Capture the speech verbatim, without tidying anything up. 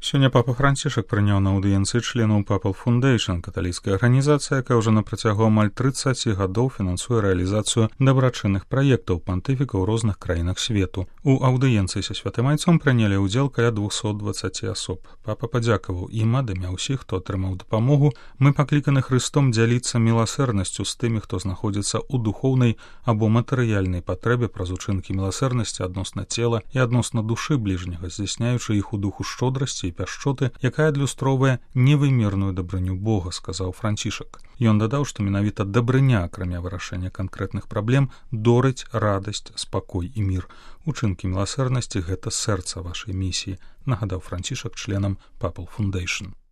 Сёння папа Францішак прыняў на аўдыенцыі членаў Papal Foundation, каталіцкая арганізацыя, якая ўжо на працягу амаль трыццаці гадоў фінансуе рэалізацыю дабрачынных праектаў пантыфіка ў розных краінах свету. У аўдыенцыі са святым айцом прынялі ўдзел каля двухсот дваццаці асоб. Папа падзякаваў ім ад імя ўсіх, хто атрымаў дапамогу. Мы пакліканы Хрыстом дзяліцца міласэрнасцю з тымі, хто знаходзіцца ў духоўнай або матэрыяльнай патрэбе праз учынкі міласэрнасці адносна цела і адносна душы бліжняга, здзяйсняючы іх у духу шчодрасці і пяшчоты, якая адлюстроўвае невымерную дабрыню Бога, сказаў Францішак. Ён дадаў, што менавіта дабрыня, акрамя вырашэння канкрэтных праблем, дорыць радасць, спакой і мір. Учынкі міласэрнасці — гэта сэрца вашай місіі, нагадаў Францішак членам Papal Foundation.